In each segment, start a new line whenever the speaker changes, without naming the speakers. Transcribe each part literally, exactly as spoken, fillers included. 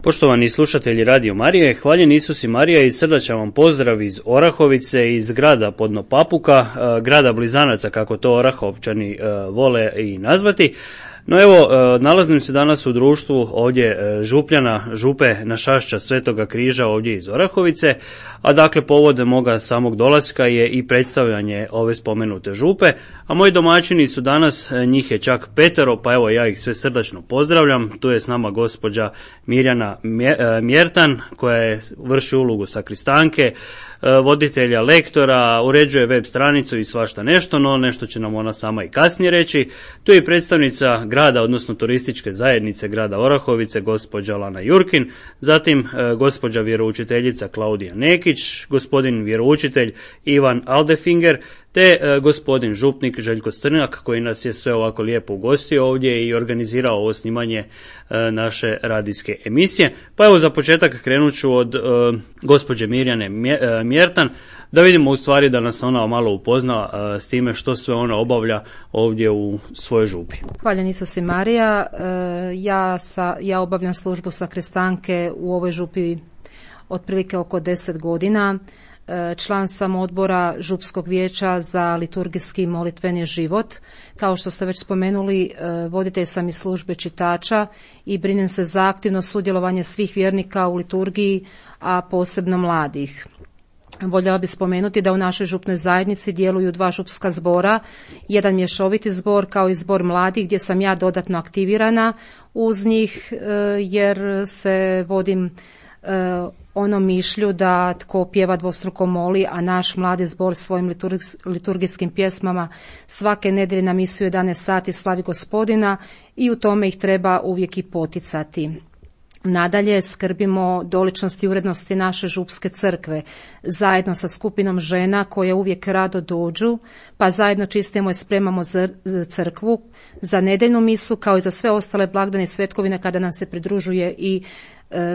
Poštovani slušatelji Radio Marije, hvaljen Isus i Marija i srdačan vam pozdrav iz Orahovice, iz grada Podno Papuka, grada blizanaca kako to Orahovčani vole i nazvati. No evo, nalazim se danas u društvu ovdje župljana, župe Našašća Svetoga križa ovdje iz Orahovice, a dakle povod moga samog dolaska je i predstavljanje ove spomenute župe, a moji domaćini su danas, njih je čak petero, pa evo ja ih sve srdačno pozdravljam. Tu je s nama gospođa Mirjana Mjertan koja je vrši ulogu sakristanke, voditelja, lektora, uređuje web stranicu i svašta nešto, no nešto će nam ona sama i kasnije reći. Tu je predstavnica grada, odnosno turističke zajednice grada Orahovice, gospođa Lana Jurkin, zatim gospođa vjeroučiteljica Klaudija Nekić, gospodin vjeroučitelj Ivan Aldefinger, te e, gospodin župnik Željko Strnjak koji nas je sve ovako lijepo ugostio ovdje i organizirao ovo snimanje e, naše radijske emisije. Pa evo za početak krenut ću od e, gospođe Mirjane Mjertan, da vidimo u stvari da nas ona malo upozna e, s time što sve ona obavlja ovdje u svojoj župi.
Hvaljen Isus i Marija, e, ja, sa, ja obavljam službu sakristanke u ovoj župi otprilike oko deset godina. Član sam odbora Župskog vijeća za liturgijski i molitveni život. Kao što ste već spomenuli, voditelj sam i službe čitača i brinem se za aktivno sudjelovanje svih vjernika u liturgiji, a posebno mladih. Voljela bih spomenuti da u našoj župnoj zajednici djeluju dva župska zbora, jedan mješoviti zbor kao i zbor mladih gdje sam ja dodatno aktivirana uz njih jer se vodim ono mišlju da tko pjeva dvostruko moli, a naš mladi zbor svojim liturgijskim pjesmama svake nedjelje na misiju jedanaest sati slavi Gospodina i u tome ih treba uvijek i poticati. Nadalje skrbimo doličnosti i urednosti naše župske crkve zajedno sa skupinom žena koje uvijek rado dođu, pa zajedno čistimo i spremamo crkvu za nedjeljnu misu kao i za sve ostale blagdane i svetkovine kada nam se pridružuje i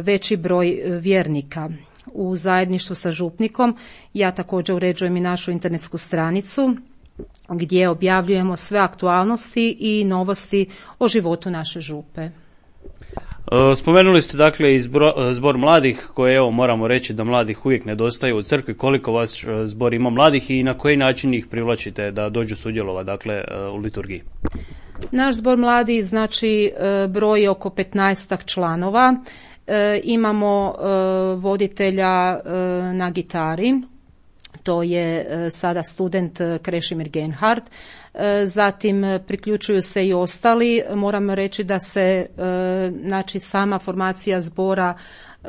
veći broj vjernika. U zajedništvu sa župnikom ja također uređujem i našu internetsku stranicu gdje objavljujemo sve aktualnosti i novosti o životu naše župe.
Spomenuli ste dakle i zbor, zbor mladih koje evo moramo reći da mladih uvijek nedostaje u crkvi. Koliko vas zbor ima mladih i na koji način ih privlačite da dođu sudjelovati dakle u liturgiji?
Naš zbor mladih znači broji oko petnaestak članova. E, imamo e, voditelja e, na gitari, to je e, sada student Krešimir Genhard, e, zatim priključuju se i ostali. Moram reći da se e, znači sama formacija zbora e,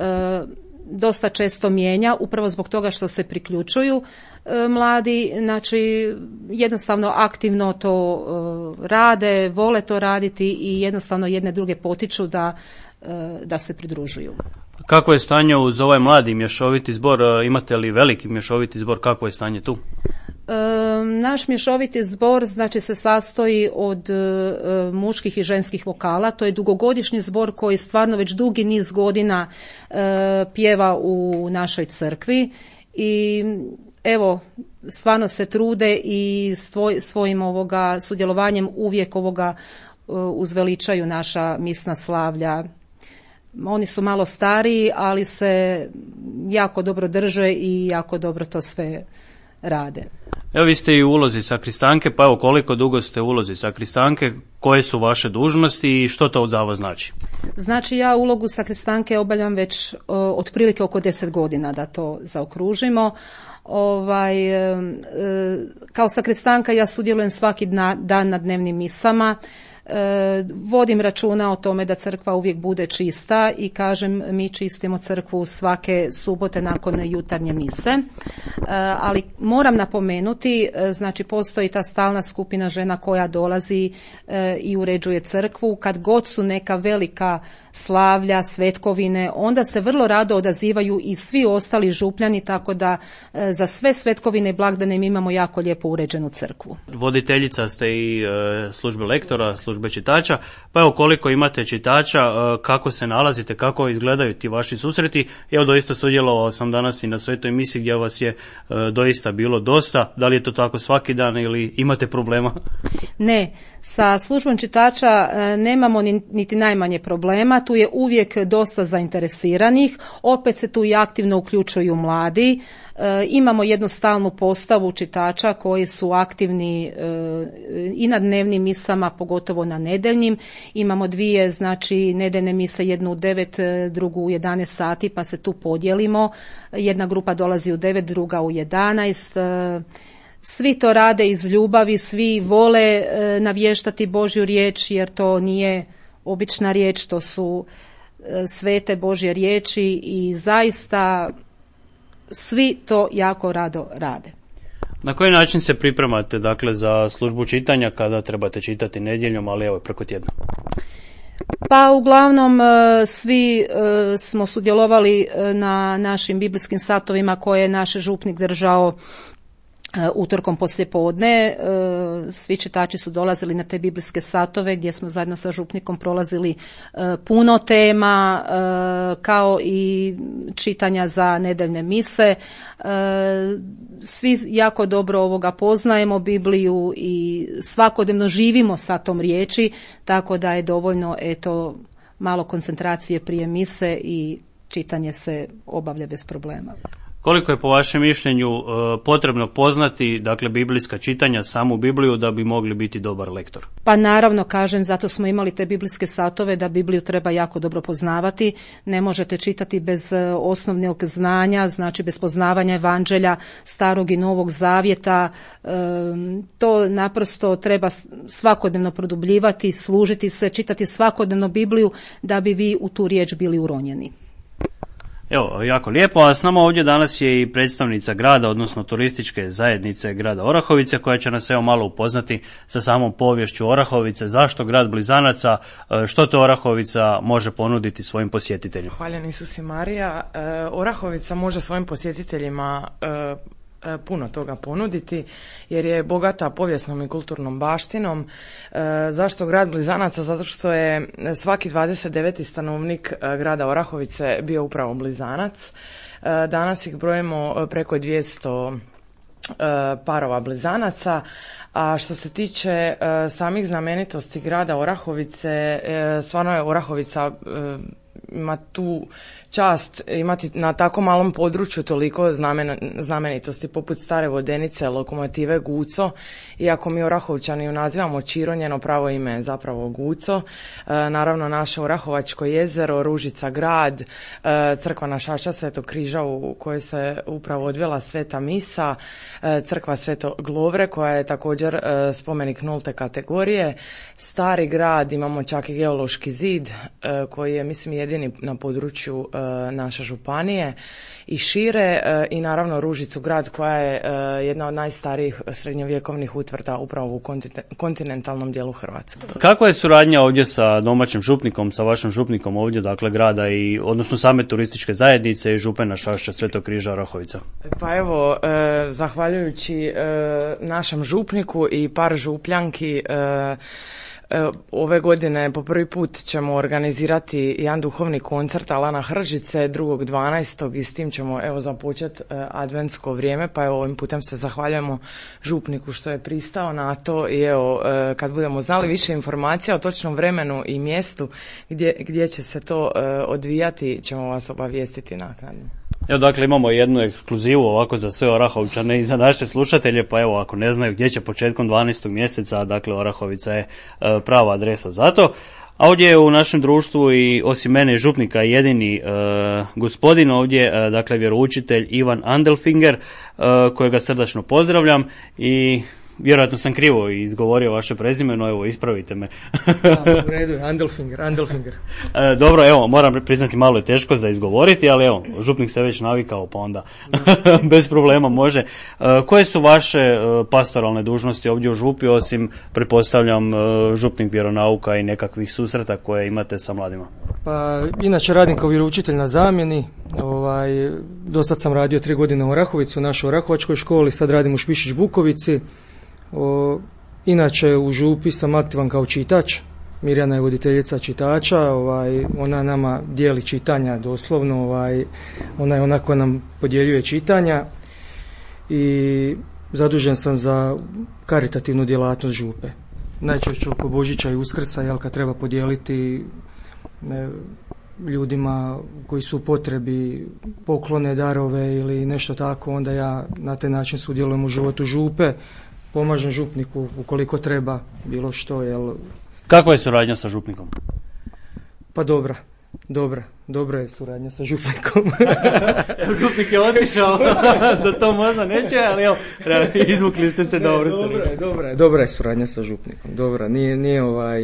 dosta često mijenja, upravo zbog toga što se priključuju e, mladi, znači jednostavno aktivno to e, rade, vole to raditi i jednostavno jedne druge potiču da da se pridružuju.
Kako je stanje uz ovaj mladi mješoviti zbor? Imate li veliki mješoviti zbor? Kako je stanje tu?
E, naš mješoviti zbor znači se sastoji od e, muških i ženskih vokala. To je dugogodišnji zbor koji stvarno već dugi niz godina e, pjeva u našoj crkvi i evo stvarno se trude i svoj, svojim ovoga sudjelovanjem uvijek ovoga e, uzveličaju naša misna slavlja. Oni su malo stariji, ali se jako dobro drže i jako dobro to sve rade.
Evo vi ste i u ulozi sakristanke, pa evo koliko dugo ste u ulozi sakristanke, koje su vaše dužnosti i što to za vas znači?
Znači ja ulogu sakristanke obavljam već o, otprilike oko deset godina, da to zaokružimo. Ovaj, e, kao sakristanka ja sudjelujem svaki dna, dan na dnevnim misama. E, vodim računa o tome da crkva uvijek bude čista i kažem mi čistimo crkvu svake subote nakon jutarnje mise, e, ali moram napomenuti, e, znači postoji ta stalna skupina žena koja dolazi e, i uređuje crkvu. Kad god su neka velika slavlja, svetkovine, onda se vrlo rado odazivaju i svi ostali župljani, tako da e, za sve svetkovine i blagdane mi imamo jako lijepo uređenu crkvu.
Voditeljica ste i e, službe lektora, službe čitača, pa evo koliko imate čitača, e, kako se nalazite, kako izgledaju ti vaši susreti. Evo doista sudjelovao sam danas i na svetoj misi gdje vas je e, doista bilo dosta. Da li je to tako svaki dan ili imate problema?
Ne, Sa službom čitača nemamo niti najmanje problema, tu je uvijek dosta zainteresiranih, opet se tu i aktivno uključuju mladi. E, imamo jednu stalnu postavu čitača koji su aktivni e, i na dnevnim misama, pogotovo na nedeljnim. Imamo dvije, znači nedeljne mise, jednu u devet, drugu u jedanaest sati, pa se tu podijelimo. Jedna grupa dolazi u devet, druga u jedanaest. E, Svi to rade iz ljubavi, svi vole e, navještati Božju riječ, jer to nije obična riječ, to su e, svete Božje riječi i zaista svi to jako rado rade.
Na koji način se pripremate, dakle, za službu čitanja kada trebate čitati nedjeljom, ali evo preko tjedna?
Pa uglavnom svi smo sudjelovali na našim biblijskim satovima koje je naš župnik držao utorkom poslijepodne. Svi čitači su dolazili na te biblijske satove gdje smo zajedno sa župnikom prolazili puno tema, kao i čitanja za nedeljne mise. Svi jako dobro ovoga poznajemo Bibliju i svakodnevno živimo sa tom riječi, tako da je dovoljno eto malo koncentracije prije mise i čitanje se obavlja bez problema.
Koliko je po vašem mišljenju potrebno poznati, dakle, biblijska čitanja, samu Bibliju, da bi mogli biti dobar lektor?
Pa naravno, kažem, zato smo imali te biblijske satove, da Bibliju treba jako dobro poznavati. Ne možete čitati bez osnovnog znanja, znači bez poznavanja evanđelja, starog i novog zavjeta. E, to naprosto treba svakodnevno produbljivati, služiti se, čitati svakodnevno Bibliju da bi vi u tu riječ bili uronjeni.
Evo, jako lijepo, a s nama ovdje danas je i predstavnica grada, odnosno turističke zajednice grada Orahovice, koja će nas evo malo upoznati sa samom poviješću Orahovice, zašto grad Blizanaca, što to Orahovica može ponuditi svojim posjetiteljima.
Hvaljen Isus i Marija. Orahovica može svojim posjetiteljima puno toga ponuditi, jer je bogata povijesnom i kulturnom baštinom. E, zašto grad Blizanaca? Zato što je svaki dvadeset deveti stanovnik grada Orahovice bio upravo Blizanac. E, danas ih brojimo preko dvjesto e, parova Blizanaca. A što se tiče e, samih znamenitosti grada Orahovice, e, stvarno je Orahovica e, ima tu čast imati na tako malom području toliko znamen, znamenitosti poput Stare Vodenice, lokomotive Guco. Iako mi Orahovčani ju nazivamo Čiro, njeno pravo ime je zapravo Guco. E, naravno naše Orahovačko jezero, Ružica grad, e, crkva Našača Svetog križa u kojoj se upravo odvijela sveta misa, e, crkva Svetog Lovre koja je također e, spomenik nulte kategorije. Stari grad, imamo čak i geološki zid e, koji je mislim jedini na području e, naše županije i šire, e, i naravno Ružicu grad koja je e, jedna od najstarijih srednjovjekovnih utvrda upravo u kontinentalnom dijelu Hrvatske.
Kakva je suradnja ovdje sa domaćim župnikom, sa vašim župnikom ovdje, dakle grada i odnosno same turističke zajednice i župe Našašća Svetog križa Orahovica?
Pa evo, e, zahvaljujući e, našem župniku i par župljanki, e, ove godine po prvi put ćemo organizirati jedan duhovni koncert Alana Hržice drugog dvanaestog i s tim ćemo evo započeti adventsko vrijeme, pa evo ovim putem se zahvaljujemo župniku što je pristao na to i evo kad budemo znali više informacija o točnom vremenu i mjestu gdje, gdje će se to odvijati ćemo vas obavijestiti naknadno.
Evo, dakle, imamo jednu ekskluzivu ovako za sve Orahovčane i za naše slušatelje, pa evo, ako ne znaju gdje će početkom dvanaestog mjeseca, dakle, Orahovica je e, prava adresa za to. A ovdje je u našem društvu i osim mene župnika jedini e, gospodin ovdje, e, dakle, vjeroučitelj Ivan Andelfinger, e, kojega srdačno pozdravljam i vjerojatno sam krivo izgovorio vaše prezime, no evo, ispravite me.
Da, u redu je, Andelfinger, Andelfinger.
E, dobro, evo, moram priznati, malo je teško za izgovoriti, ali evo, župnik se već navikao, pa onda bez problema može. E, koje su vaše e, pastoralne dužnosti ovdje u župi, osim, pretpostavljam, e, župnik vjeronauka i nekakvih susreta koje imate sa mladima?
Pa, inače radim kao vjeroučitelj na zamjeni. Ovaj, do sad sam radio tri godine u Orahovici, u našoj Orahovačkoj školi, sad radim u Špišić Bukovici. O, inače u župi sam aktivan kao čitač. Mirjana je voditeljica čitača, ovaj, ona nama dijeli čitanja doslovno, ovaj, ona je ona koja nam podjeljuje čitanja i zadužen sam za karitativnu djelatnost župe. najčešće oko Božića i Uskrsa, jel, kad treba podijeliti ne, ljudima koji su u potrebi poklone, darove ili nešto tako, onda ja na taj način sudjelujem u životu župe, pomažem župniku ukoliko treba bilo što. Jel.
Kakva je suradnja sa župnikom?
Pa dobra, dobra, dobra je suradnja sa župnikom.
Župnik je otišao, da to možda neće, ali evo, izvukli ste se dobro.
Dobra je, dobra je, dobra je suradnja sa župnikom, dobra, nije, nije ovaj,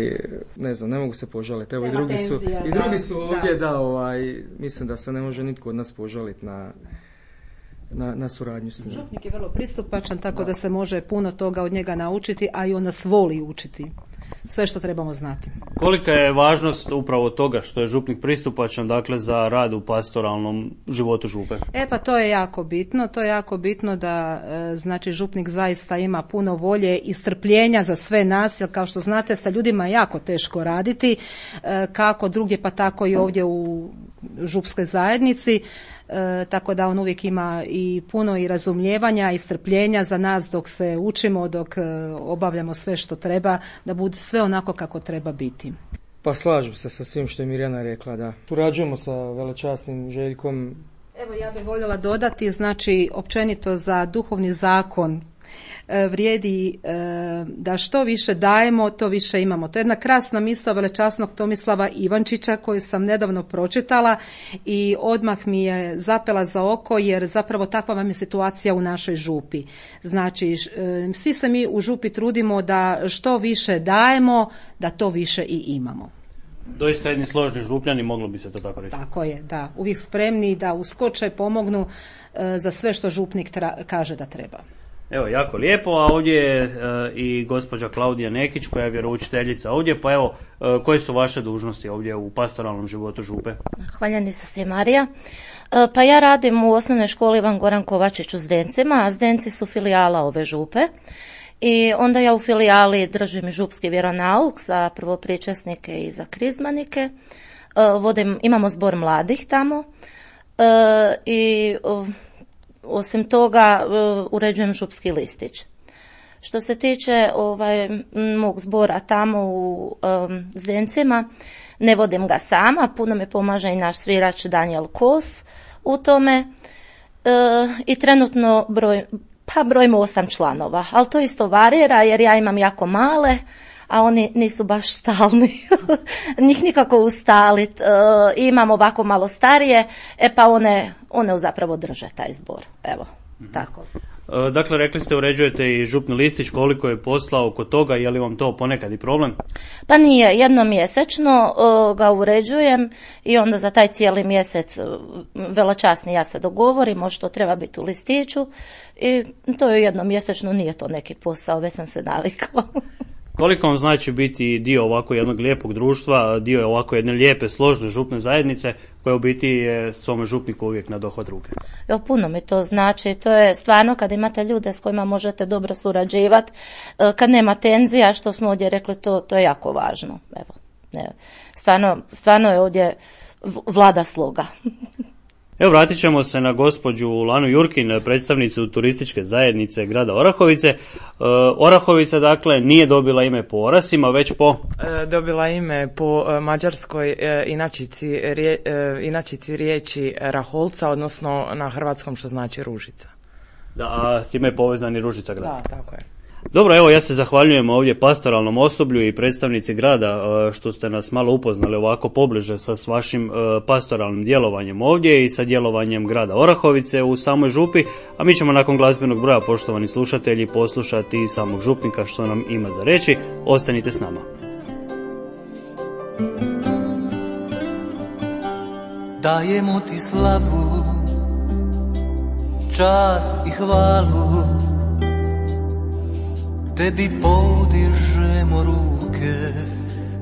ne znam, ne mogu se požaliti, evo i drugi su, i drugi su ovdje, da. da, ovaj, mislim da se ne može nitko od nas požaliti na, na, na suradnju s njim.
Župnik je vrlo pristupačan, tako da. da se može puno toga od njega naučiti, a i on nas voli učiti. Sve što trebamo znati.
Kolika je važnost upravo toga što je župnik pristupačan, dakle, za rad u pastoralnom životu župe?
E pa to je jako bitno, to je jako bitno da e, znači župnik zaista ima puno volje i strpljenja za sve nas, jer kao što znate sa ljudima je jako teško raditi, e, kako drugdje pa tako i ovdje u župskoj zajednici. E, tako da on uvijek ima i puno i razumijevanja i strpljenja za nas dok se učimo, dok e, obavljamo sve što treba, da bude sve onako kako treba biti.
Pa slažem se sa svim što je Mirjana rekla, da. Surađujemo sa velečasnim Željkom.
Evo ja bih voljela dodati, znači općenito za duhovni zakon vrijedi da što više dajemo, to više imamo. To je jedna krasna misao velečasnog Tomislava Ivančića koju sam nedavno pročitala i odmah mi je zapela za oko, jer zapravo takva vam je situacija u našoj župi. Znači, svi se mi u župi trudimo da što više dajemo, da to više i imamo.
Doista jedni složni župljani, moglo bi se to tako reći.
Tako je, da. Uvijek spremni da uskoče, pomognu za sve što župnik tra- kaže da treba.
Evo, jako lijepo, a ovdje je e, i gospođa Klaudija Nekić koja je vjeroučiteljica ovdje, pa evo, e, koje su vaše dužnosti ovdje u pastoralnom životu župe?
Hvaljeni sa svim Marija. E, pa ja radim u osnovnoj školi Ivan Goran Kovačić u Zdencima, a Zdenci su filijala ove župe. I onda ja u filijali držim i župski vjeronauk za prvopričasnike i za krizmanike. E, vodim, imamo zbor mladih tamo e, i osim toga uređujem župski listić. Što se tiče ovaj, mog zbora tamo u um, Zdencima, ne vodim ga sama, puno mi pomaže i naš svirač Daniel Kos u tome e, i trenutno broj, pa brojimo osam članova, ali to isto varira jer ja imam jako male, a oni nisu baš stalni, njih nikako ustaliti. E, imam ovako malo starije, e pa one, one zapravo drže taj zbor. Evo, mm-hmm. tako.
E, dakle, rekli ste uređujete i župni listić, koliko je posla oko toga, je li vam to ponekad i problem?
Pa nije, jednom mjesečno uh, ga uređujem i onda za taj cijeli mjesec uh, veločasni ja se dogovorimo što treba biti u listiću i to je jednom mjesečno, nije to neki posao, već sam se navikla.
Koliko vam znači biti dio ovako jednog lijepog društva, dio ovako jedne lijepe, složne župne zajednice koja u biti je svome župniku uvijek na dohvat ruke?
Jo, puno mi to znači. To je stvarno kad imate ljude s kojima možete dobro surađivati, kad nema tenzija, što smo ovdje rekli, to, to je jako važno. Evo, evo. Stvarno, stvarno je ovdje vlada sloga.
Evo, vratit ćemo se na gospođu Lanu Jurkin, predstavnicu turističke zajednice grada Orahovice. E, Orahovica, dakle, nije dobila ime po orasima, već po...
E, dobila ime po e, mađarskoj e, inačici, rije, e, inačici riječi Raholca, odnosno na hrvatskom što znači ružica.
Da, a s time je povezan i Ružica grada.
Da, tako je.
Dobro, evo ja se zahvaljujem ovdje pastoralnom osoblju i predstavnici grada što ste nas malo upoznali ovako pobliže sa s vašim pastoralnim djelovanjem ovdje i sa djelovanjem grada Orahovice u samoj župi, a mi ćemo nakon glazbenog broja, poštovani slušatelji, poslušati samog župnika što nam ima za reći. Ostanite s nama.
Dajemo ti slavu, čast i hvalu, tebi podižemo ruke,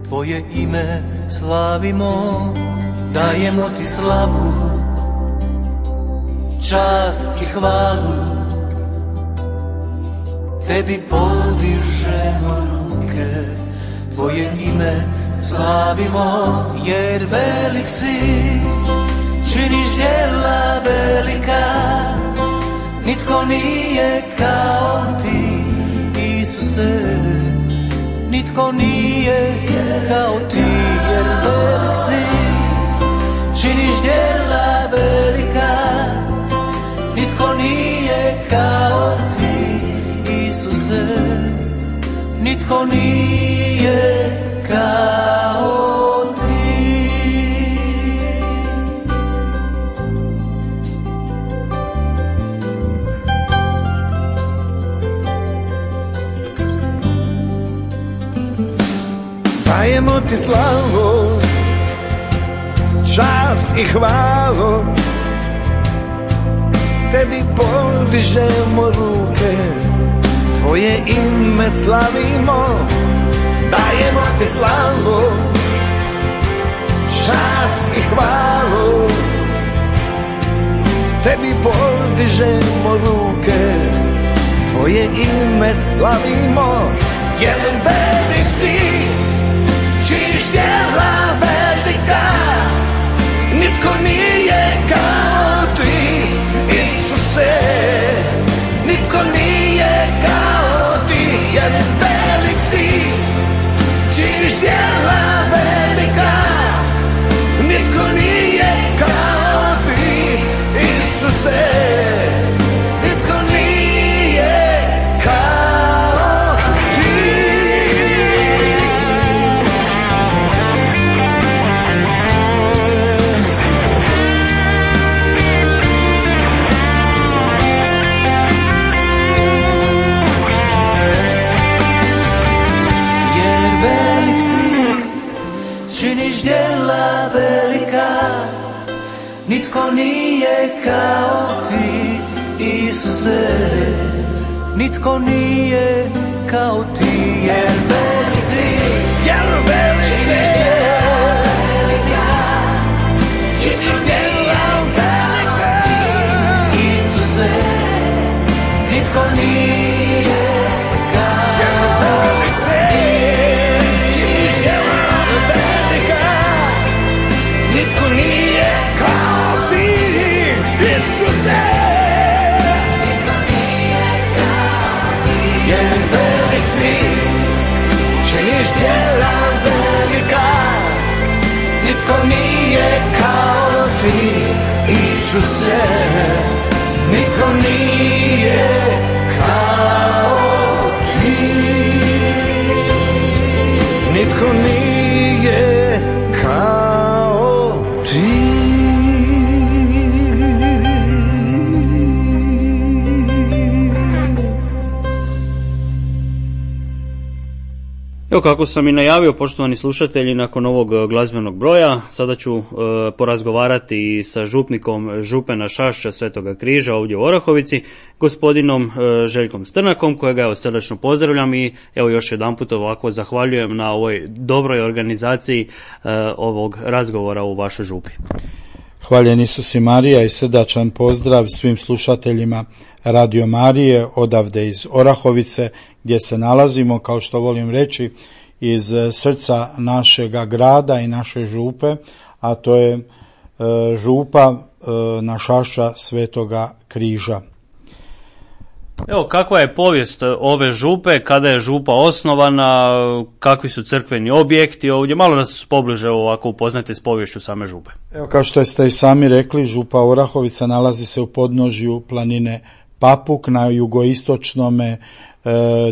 tvoje ime slavimo, dajemo ti slavu, čast i hvalu, tebi podižemo ruke, tvoje ime slavimo, jer velik si, činiš djela velika, nitko nije kao ti, Isuse, nitko nije kao ti, jer velik si, činiš djela velika, nitko nije kao ti, Isuse, nitko nije kao ti.
Dajemo ti slavu, čast i hvalu, tebi podižemo ruke, tvoje ime slavimo. Dajemo ti slavu, čast i hvalu, tebi podižemo ruke, tvoje ime slavimo. Jer velik si, činiš djela velika, nitko nije kao ti, Isuse, nitko nije kao ti, jer velik si, činiš djela velika, nitko nije kao ti, Isuse, nitko nije kao ti.
Jer velik si, činiš djela velika, nitko nije kao ti, Isuse, nitko nije kao ti, jer velik si, jer velik si, činiš djela velika, činiš djela velika, Isuse, nitko nije kao ti, jer velik si, činiš djela velika, nitko nije kao ti, Isuse, nitko nije kao ti, jer velik si, činiš djela velika, nitko nije kao ti, Isuse, nitko nije kao ti, nitko nije kao ti.
Evo kako sam i najavio, poštovani slušatelji, nakon ovog glazbenog broja sada ću e, porazgovarati sa župnikom župena Šašća Svetoga Križa ovdje u Orahovici, gospodinom e, Željkom Strnakom, kojega evo srdačno pozdravljam i evo još jedanput ovako zahvaljujem na ovoj dobroj organizaciji e, ovog razgovora u vašoj župi.
Hvaljen Isus i Marija i srdačan pozdrav svim slušateljima Radio Marije odavde iz Orahovice, gdje se nalazimo, kao što volim reći, iz srca našega grada i naše župe, a to je e, župa e, na Šašća Svetoga Križa.
Evo, kakva je povijest ove župe, kada je župa osnovana, kakvi su crkveni objekti ovdje, malo nas pobliže ovako upoznate s poviješću same župe.
Evo, kao što ste i sami rekli, župa Orahovica nalazi se u podnožju planine Papuk na jugoistočnome e,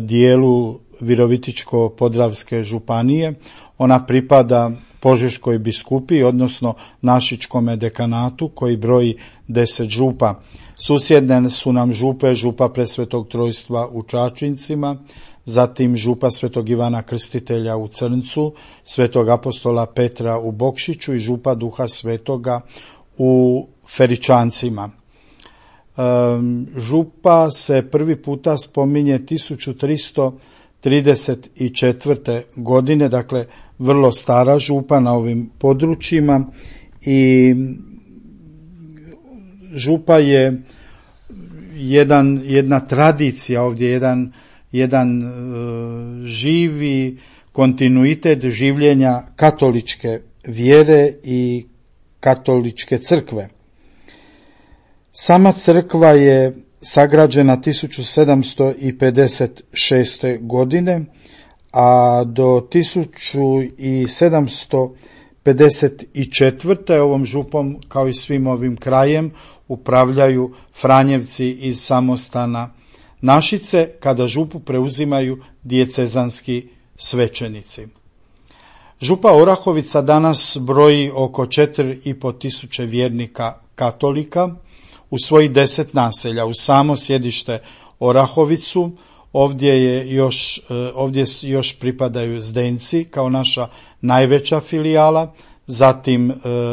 dijelu Virovitičko-Podravske županije. Ona pripada Požeškoj biskupiji, odnosno Našičkome dekanatu koji broji deset župa. Susjedne su nam župe, župa Presvetog Trojstva u Čačincima, zatim župa Svetog Ivana Krstitelja u Crncu, Svetog apostola Petra u Bokšiću i župa Duha Svetoga u Feričancima. Um, župa se prvi puta spominje tisuću tristo trideset četvrte. godine, dakle vrlo stara župa na ovim područjima, i župa je jedan, jedna tradicija ovdje, jedan, jedan uh, živi kontinuitet življenja katoličke vjere i katoličke crkve. Sama crkva je sagrađena tisuću sedamsto pedeset šeste. godine, a do tisuću sedamsto pedeset četvrte. ovom župom, kao i svim ovim krajem, upravljaju Franjevci iz samostana Našice, kada župu preuzimaju dijecezanski svećenici. Župa Orahovica danas broji oko četiri i po tisuće vjernika katolika u svojih deset naselja. U samo sjedište Orahovicu ovdje je još, ovdje još pripadaju Zdenci kao naša najveća filijala, zatim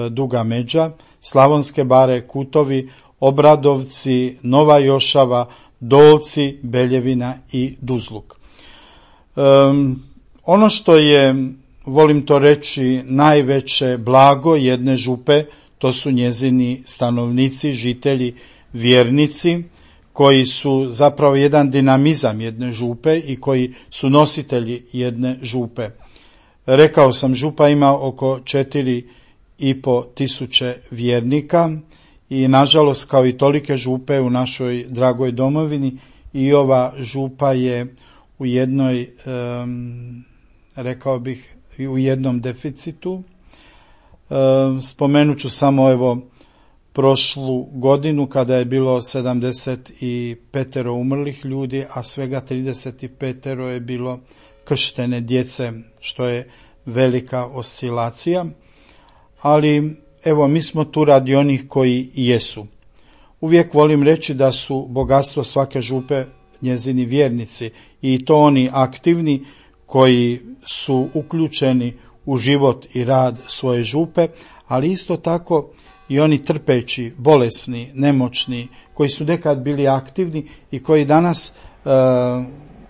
Duga Međa, Slavonske Bare, Kutovi, Obradovci, Nova Jošava, Dolci, Beljevina i Duzluk. Um, ono što je, volim to reći, najveće blago jedne župe, to su njezini stanovnici, žitelji, vjernici, koji su zapravo jedan dinamizam jedne župe i koji su nositelji jedne župe. Rekao sam, župa ima oko četiri i po tisuće vjernika i nažalost, kao i tolike župe u našoj dragoj domovini, i ova župa je u jednoj, um, rekao bih, u jednom deficitu. Um, spomenut ću samo evo prošlu godinu kada je bilo sedamdeset pet umrlih ljudi, a svega trideset pet je bilo krštene djece, što je velika oscilacija. Ali evo, mi smo tu radi onih koji jesu. Uvijek volim reći da su bogatstvo svake župe njezini vjernici, i to oni aktivni koji su uključeni u život i rad svoje župe, ali isto tako i oni trpeći, bolesni, nemoćni, koji su nekad bili aktivni i koji danas e,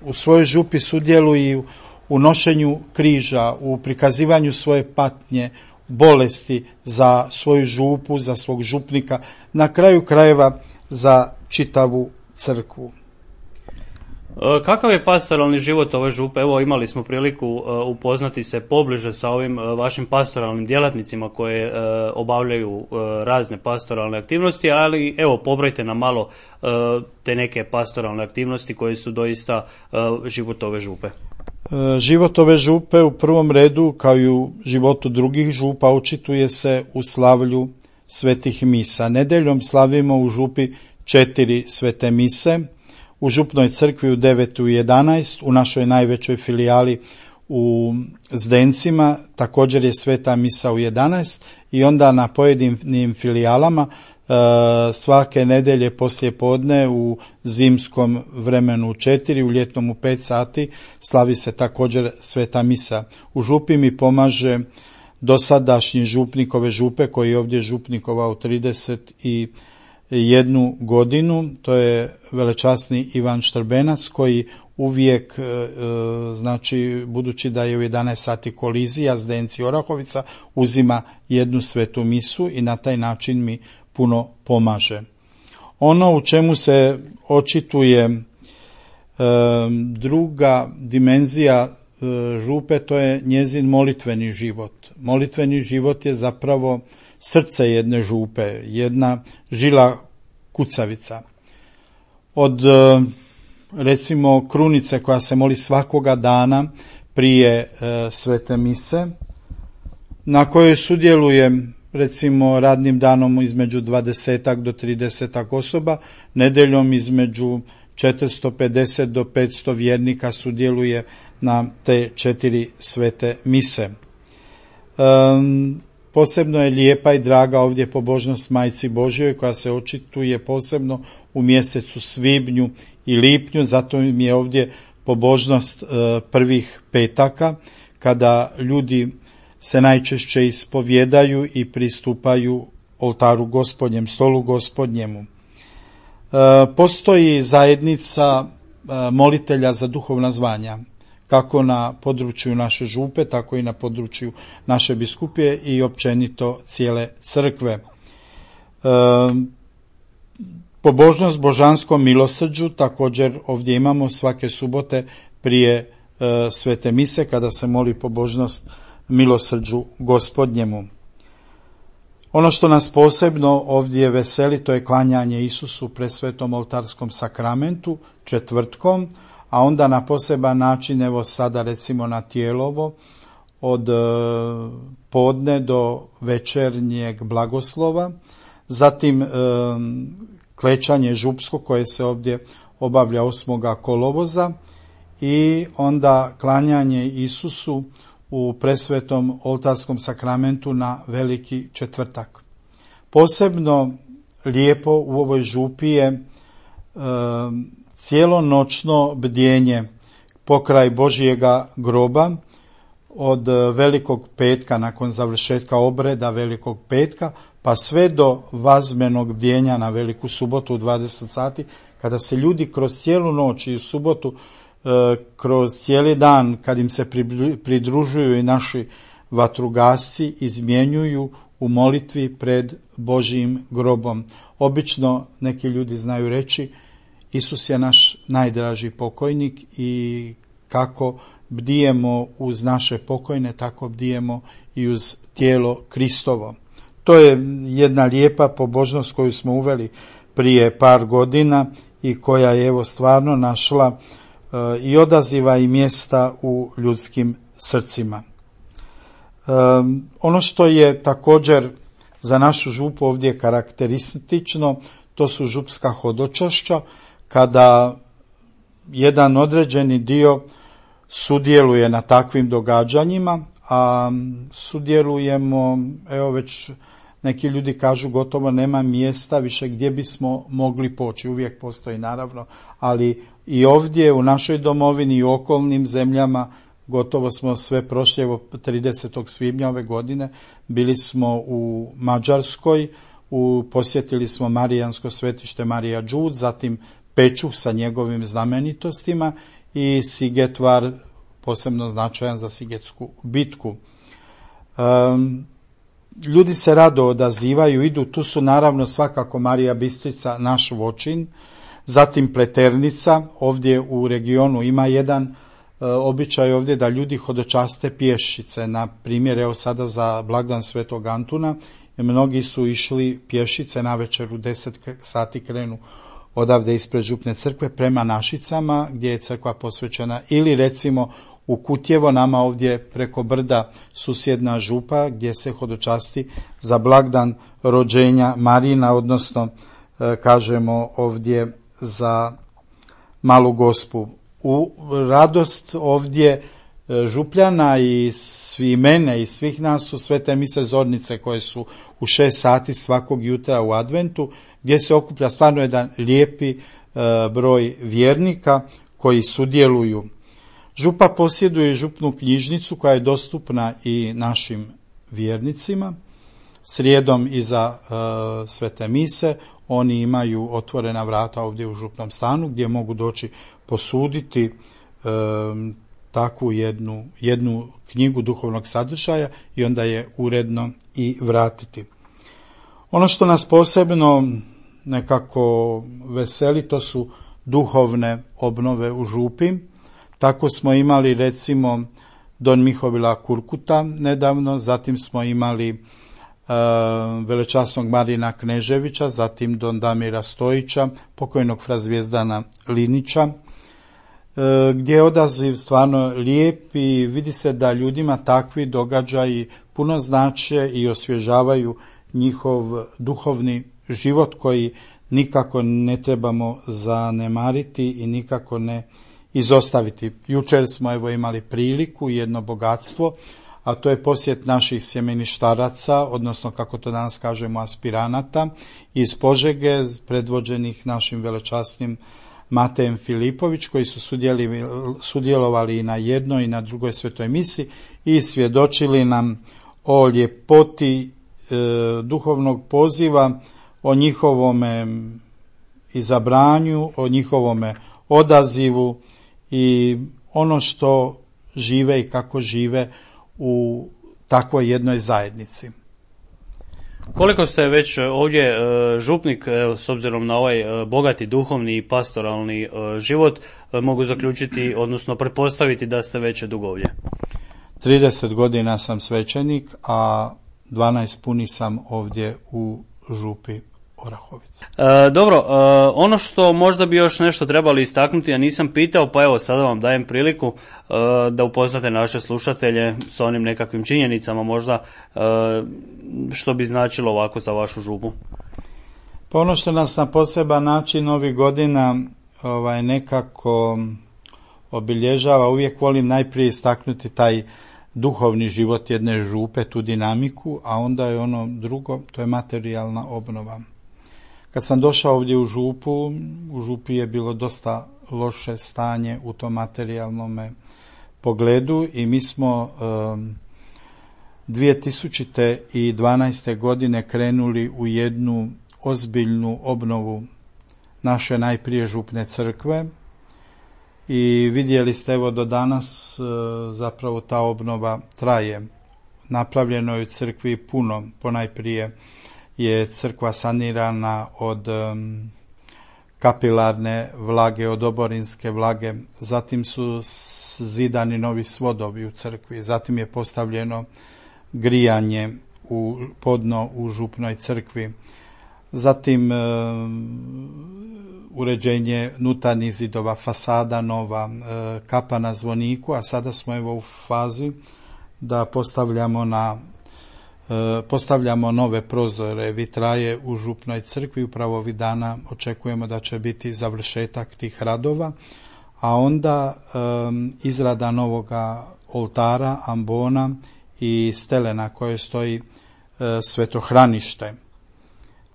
u svojoj župi sudjeluju u nošenju križa, u prikazivanju svoje patnje, bolesti za svoju župu, za svog župnika, na kraju krajeva za čitavu crkvu.
Kakav je pastoralni život ove župe? Evo, imali smo priliku upoznati se pobliže sa ovim vašim pastoralnim djelatnicima koje obavljaju razne pastoralne aktivnosti, ali evo, pobrojte nam malo te neke pastoralne aktivnosti koje su doista život ove župe.
Život ove župe u prvom redu, kao i u životu drugih župa, očituje se u slavlju svetih misa. Nedeljom slavimo u župi četiri svete mise, u župnoj crkvi u devet i u jedanaest, u našoj najvećoj filijali u Zdencima također je sveta misa u jedanaest, i onda na pojedinim filijalama e, svake nedelje poslije podne u zimskom vremenu u četiri, u ljetnom u pet sati slavi se također sveta misa. U župi mi pomaže dosadašnji župnik ove župe, koji je ovdje župnikovao trideset jednu godinu, to je velečasni Ivan Štrbenac, koji uvijek, znači budući da je u jedanaest sati kolizija Zdenci Orahovica, uzima jednu svetu misu i na taj način mi puno pomaže. Ono u čemu se očituje druga dimenzija župe, to je njezin molitveni život. Molitveni život je zapravo srce jedne župe, jedna žila kucavica. Od recimo krunice koja se moli svakoga dana prije e, svete mise, na kojoj sudjeluje recimo radnim danom između dvadesetak do tridesetak osoba, nedeljom između četiristo pedeset do petsto vjernika sudjeluje na te četiri svete mise. Um, Posebno je lijepa i draga ovdje pobožnost Majci Božjoj, koja se očituje posebno u mjesecu svibnju i lipnju, zato mi je ovdje pobožnost prvih petaka, kada ljudi se najčešće ispovjedaju i pristupaju oltaru Gospodnjem, stolu Gospodnjemu. Postoji zajednica molitelja za duhovna zvanja, kako na području naše župe, tako i na području naše biskupije i općenito cijele crkve. E, pobožnost božanskom milosrđu također ovdje imamo svake subote prije e, svete mise, kada se moli pobožnost milosrđu Gospodnjemu. Ono što nas posebno ovdje veseli, to je klanjanje Isusu presvetom oltarskom sakramentu četvrtkom, a onda na poseban način, evo sada recimo na Tijelovo, od podne do večernjeg blagoslova, zatim klečanje župsko koje se ovdje obavlja osmoga kolovoza i onda klanjanje Isusu u presvetom oltarskom sakramentu na Veliki četvrtak. Posebno lijepo u ovoj župi je e, cijelonoćno bdjenje pokraj Božjega groba od Velikog petka, nakon završetka obreda Velikog petka, pa sve do vazmenog bdjenja na Veliku subotu u dvadeset sati, kada se ljudi kroz cijelu noć i u subotu, e, kroz cijeli dan, kad im se pridružuju i naši vatrogasci, izmjenjuju u molitvi pred Božjim grobom. Obično neki ljudi znaju reći, Isus je naš najdraži pokojnik i kako bdijemo uz naše pokojne, tako bdijemo i uz tijelo Kristovo. To je jedna lijepa pobožnost koju smo uveli prije par godina i koja je evo stvarno našla e, i odaziva i mjesta u ljudskim srcima. E, ono što je također za našu župu ovdje karakteristično, to su župska hodočašća, kada jedan određeni dio sudjeluje na takvim događanjima, a sudjelujemo, evo već neki ljudi kažu gotovo nema mjesta više gdje bismo mogli poći. Uvijek postoji naravno, ali i ovdje u našoj domovini i u okolnim zemljama gotovo smo sve prošli. Evo tridesetog svibnja ove godine bili smo u Mađarskoj, u, posjetili smo Marijansko svetište Marija Đud, zatim Pečuh sa njegovim znamenitostima i Sigetvar, posebno značajan za Sigetsku bitku. Um, ljudi se rado odazivaju, idu, tu su naravno svakako Marija Bistrica, naš Vočin, zatim Pleternica, ovdje u regionu ima jedan uh, običaj ovdje da ljudi hodočaste pješice, na primjer evo sada za blagdan Svetog Antuna, mnogi su išli pješice, navečer u deset sati krenu odavde ispred župne crkve prema Našicama gdje je crkva posvećena, ili recimo u Kutjevo, nama ovdje preko brda susjedna župa gdje se hodočasti za blagdan rođenja Marina, odnosno e, kažemo ovdje za Malu Gospu. U radost ovdje e, župljana i svi mene i svih nas su svete mise zornice koje su u šest sati svakog jutra u adventu, gdje se okuplja stvarno jedan lijepi e, broj vjernika koji sudjeluju. Župa posjeduje župnu knjižnicu koja je dostupna i našim vjernicima. Srijedom iza e, svete mise oni imaju otvorena vrata ovdje u župnom stanu gdje mogu doći posuditi e, takvu jednu, jednu knjigu duhovnog sadržaja i onda je uredno i vratiti. Ono što nas posebno nekako veseli, to su duhovne obnove u župi. Tako smo imali recimo Don Mihovila Kurkuta nedavno, zatim smo imali e, velečasnog Marina Kneževića, zatim Don Damira Stojića, pokojnog fra Zvijezdana Linića, e, gdje je odaziv stvarno lijep i vidi se da ljudima takvi događaji puno znače i osvježavaju njihov duhovni život koji nikako ne trebamo zanemariti i nikako ne izostaviti. Jučer smo evo imali priliku, jedno bogatstvo, a to je posjet naših sjemeništaraca, odnosno kako to danas kažemo aspiranata, iz Požege, predvođenih našim velečasnim Matejem Filipović, koji su sudjelovali i na jednoj i na drugoj svetoj misi i svjedočili nam o ljepoti e, duhovnog poziva, o njihovome izabranju, o njihovome odazivu i ono što žive i kako žive u takvoj jednoj zajednici.
Koliko ste već ovdje župnik, s obzirom na ovaj bogati duhovni i pastoralni život, mogu zaključiti, odnosno pretpostaviti da ste već dugo ovdje?
trideset godina sam svećenik, a dvanaest puni sam ovdje u župi Orahovice.
E, dobro, e, ono što možda bi još nešto trebali istaknuti, ja nisam pitao, pa evo sada vam dajem priliku e, da upoznate naše slušatelje sa onim nekakvim činjenicama možda e, što bi značilo ovako za vašu župu.
Pa ono što nas na poseban način ovih godina ovaj, nekako obilježava, uvijek volim najprije istaknuti taj duhovni život jedne župe, tu dinamiku, a onda je ono drugo, to je materijalna obnova. Kad sam došao ovdje u župu, u župi je bilo dosta loše stanje u tom materijalnom pogledu i mi smo um, dvije tisuće dvanaeste. godine krenuli u jednu ozbiljnu obnovu naše najprije župne crkve i vidjeli ste evo do danas zapravo ta obnova traje. Napravljeno je u crkvi puno, ponajprije je crkva sanirana od um, kapilarne vlage, od oborinske vlage, zatim su zidani novi svodovi u crkvi, zatim je postavljeno grijanje u podno u župnoj crkvi, zatim um, uređenje nutarnjih zidova, fasada nova, um, kapa na zvoniku, a sada smo evo u fazi da postavljamo na postavljamo nove prozore, vitraje u župnoj crkvi. Upravo ovih dana očekujemo da će biti završetak tih radova, a onda um, izrada novoga oltara, ambona i stele na kojoj stoji uh, svetohranište.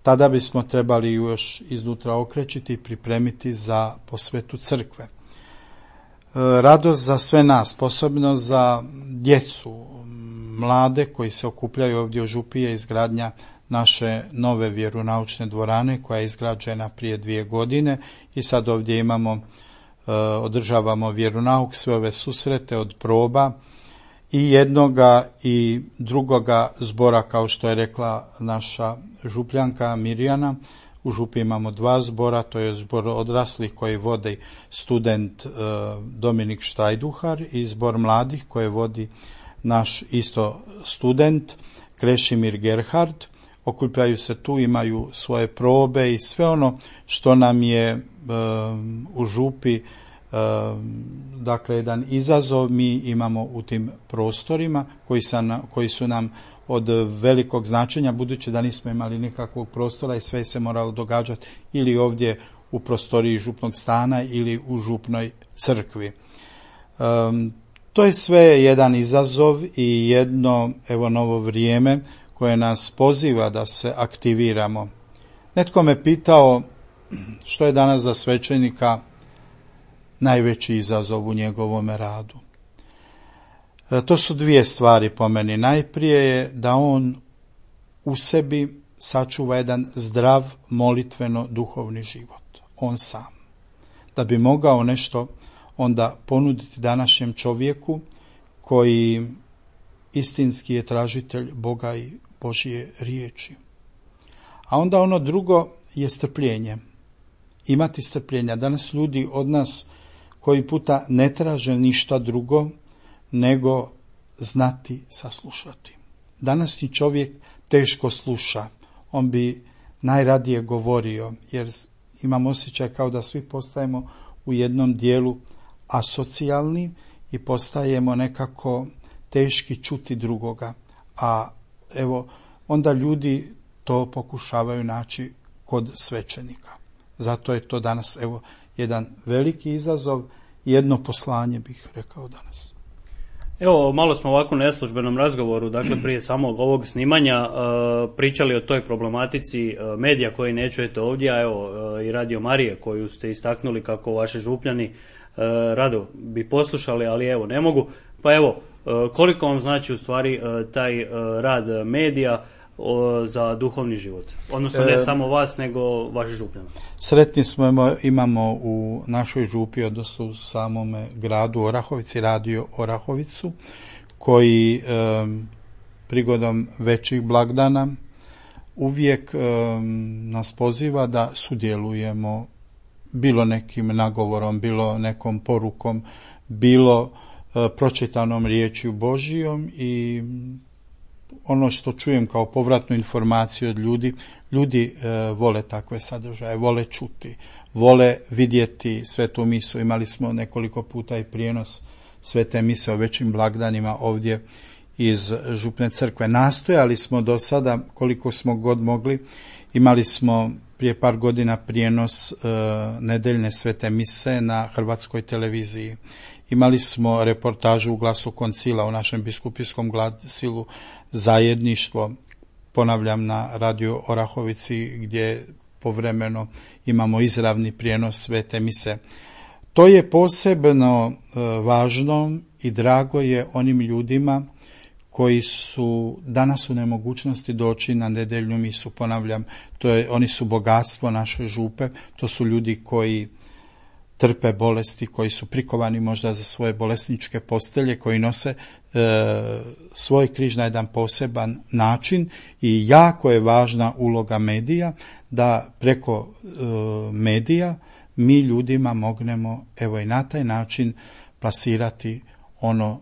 Tada bismo trebali još iznutra okrećiti i pripremiti za posvetu crkve. Uh, radost za sve nas, posebno za djecu, mlade koji se okupljaju ovdje u župi je izgradnja naše nove vjeronaučne dvorane koja je izgrađena prije dvije godine i sad ovdje imamo, e, održavamo vjeronauk, sve ove susrete od proba i jednoga i drugoga zbora, kao što je rekla naša župljanka Mirjana. U župi imamo dva zbora, to je zbor odraslih koji vodi student e, Dominik Štajduhar i zbor mladih koje vodi naš isto student Krešimir Gerhard. Okupljaju se tu, imaju svoje probe i sve ono što nam je um, u župi um, dakle jedan izazov mi imamo u tim prostorima koji, sam, koji su nam od velikog značenja, budući da nismo imali nikakvog prostora i sve se moralo događati ili ovdje u prostoriji župnog stana ili u župnoj crkvi. Um, To je sve jedan izazov i jedno evo novo vrijeme koje nas poziva da se aktiviramo. Netko me pitao što je danas za svećenika najveći izazov u njegovome radu. E, to su dvije stvari po meni. Najprije je da on u sebi sačuva jedan zdrav molitveno duhovni život. On sam. Da bi mogao nešto onda ponuditi današnjem čovjeku koji istinski je tražitelj Boga i Božje riječi. A onda ono drugo je strpljenje. Imati strpljenja. Danas ljudi od nas koji puta ne traže ništa drugo nego znati saslušati. Današnji čovjek teško sluša. On bi najradije govorio, jer imam osjećaj kao da svi postajemo u jednom dijelu asocijalni i postajemo nekako teški čuti drugoga. A evo, onda ljudi to pokušavaju naći kod svećenika. Zato je to danas evo jedan veliki izazov, jedno poslanje bih rekao danas.
Evo, malo smo ovako u neslužbenom razgovoru, dakle prije samog ovog snimanja, pričali o toj problematici medija koji ne čujete ovdje, a evo i Radio Marije koju ste istaknuli kako vaši župljani rado bi poslušali, ali evo ne mogu. Pa evo, koliko vam znači u stvari taj rad medija za duhovni život? Odnosno ne e, samo vas, nego vaši župljani.
Sretni smo, imamo u našoj župi, odnosno u samome gradu Orahovici, radio Orahovicu, koji e, prigodom većih blagdana uvijek e, nas poziva da sudjelujemo bilo nekim nagovorom, bilo nekom porukom, bilo e, pročitanom riječju Božijom i ono što čujem kao povratnu informaciju od ljudi, ljudi e, vole takve sadržaje, vole čuti, vole vidjeti svetu misu. Imali smo nekoliko puta i prijenos svete mise o većim blagdanima ovdje iz župne crkve. Nastojali smo do sada koliko smo god mogli. Imali smo prije par godina prijenos e, nedeljne svete mise na hrvatskoj televiziji. Imali smo reportažu u Glasu koncila, u našem biskupijskom glasilu Zajedništvo, ponavljam, na radio Orahovici, gdje povremeno imamo izravni prijenos svete mise. To je posebno e, važno i drago je onim ljudima koji su danas u nemogućnosti doći na nedeljnu misu. Ponavljam, to je, oni su bogatstvo naše župe, to su ljudi koji trpe bolesti, koji su prikovani možda za svoje bolesničke postelje, koji nose e, svoj križ na jedan poseban način i jako je važna uloga medija da preko e, medija mi ljudima mognemo evo i na taj način plasirati ono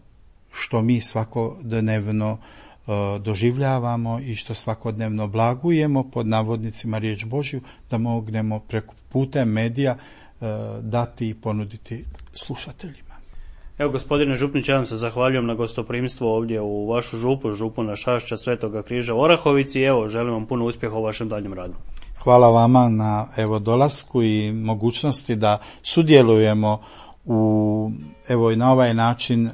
što mi svakodnevno e, doživljavamo i što svakodnevno blagujemo, pod navodnicima riječ Božju, da mognemo preko putem medija e, dati i ponuditi slušateljima.
Evo, gospodine župniče, ja vam se zahvaljujem na gostoprimstvu ovdje u vašu župu, župu na Šašća Svetoga križa u Orahovici i evo, želim vam puno uspjeha u vašem daljem radu.
Hvala vama na evo dolasku i mogućnosti da sudjelujemo u evo i na ovaj način e,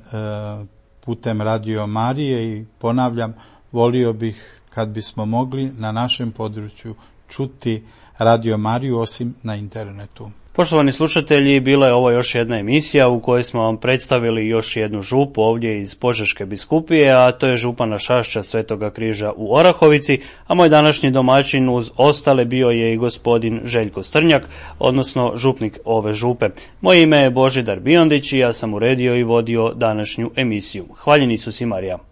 putem Radio Marije i ponavljam, volio bih kad bismo mogli na našem području čuti Radio Mariju osim na internetu.
Poštovani slušatelji, bila je ovo još jedna emisija u kojoj smo vam predstavili još jednu župu ovdje iz Požeške biskupije, a to je župa na Šašća Svetoga križa u Orahovici, a moj današnji domaćin uz ostale bio je i gospodin Željko Strnjak, odnosno župnik ove župe. Moje ime je Božidar Biondić i ja sam uredio i vodio današnju emisiju. Hvaljen Isus i Marija.